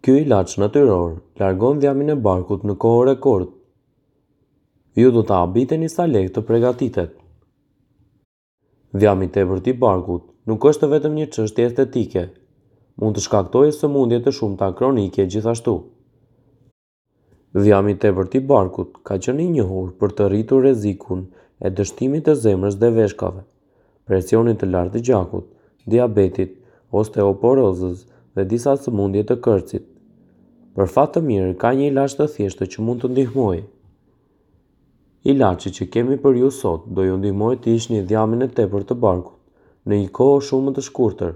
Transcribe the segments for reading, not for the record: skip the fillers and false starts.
Ky ilaç natyror largon dhjamin e barkut në kohë rekord. Ju do të habiteni sa lehtë të pregatitet. Dhjami i tepërt i barkut nuk është vetëm një çështje estetike. Mund të shkaktojë sëmundje të shumta kronike gjithashtu. Dhjami i tepërt i barkut ka qenë i njohur për të rritur rrezikun e dështimit të zemrës dhe veshkave, presionit të lartë të gjakut, diabetit, osteoporozës dhe disa sëmundje të kërcit. Për fat të mirë, ka një ilaç të thjeshtë që mund të ndihmojë. Ilaçi që kemi për ju sot do ju ndihmojë të hiqni dhjamin e tepërt të barkut në një kohë shumë më të shkurtër.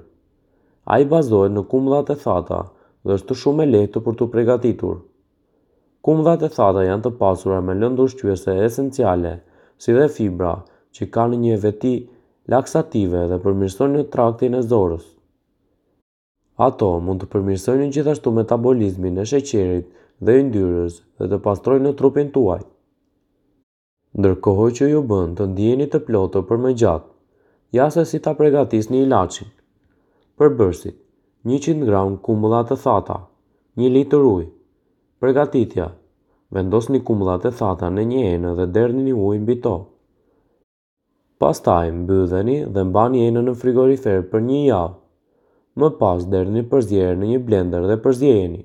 Ai bazohet në kumullat e thata dhe është shumë e lehtë për t'u pregatitur. Kumullat e thata janë të pasura me lëndë ushqyese esenciale, si dhe fibra, që kanë një veti laksative dhe përmirësojnë traktin e zorrës. Ato mund të përmirësojnë gjithashtu metabolizmin e sheqerit dhe yndyrës dhe të pastrojnë trupin tuaj. Ndërkohë që ju bën të ndiheni të plotë për më gjatë. Ja se si ta pregatisni ilaçin. Përbërësit, 100 gram kumbulla të thata, 1 litër ujë. Pregatitja, vendosni kumbullat e thata në një enë dhe derdhni ujë mbi to. Pastaj mbylleni dhe mbani enën në frigorifer për një javë. Më pas derdhni përzierjen në një blender dhe përziejeni.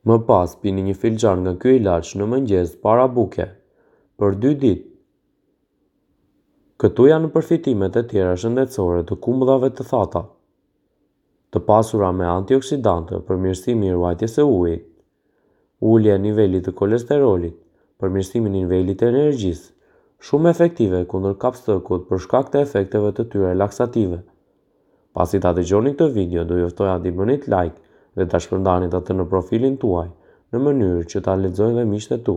Më pas pini një filxhan nga ky ilaç në mëngjes para buke, për dy ditë. Këtu janë përfitimet e tjera shëndetësore të kumbullave të thata. Të pasura me antioksidantë, përmirësimi i ruajtjes së ujit, ulja e nivelit të kolesterolit, përmirësimi i nivelit të energjisë, shumë efektive kundër kapsllëkut për shkak të efekteve të tyre laksative. Pasi ta dëgjoni këtë video, do ju ftoja t'i bënit like dhe ta shpërndanit atë në profilin tuaj, në mënyrë që ta lexojnë dhe miqtë e tu.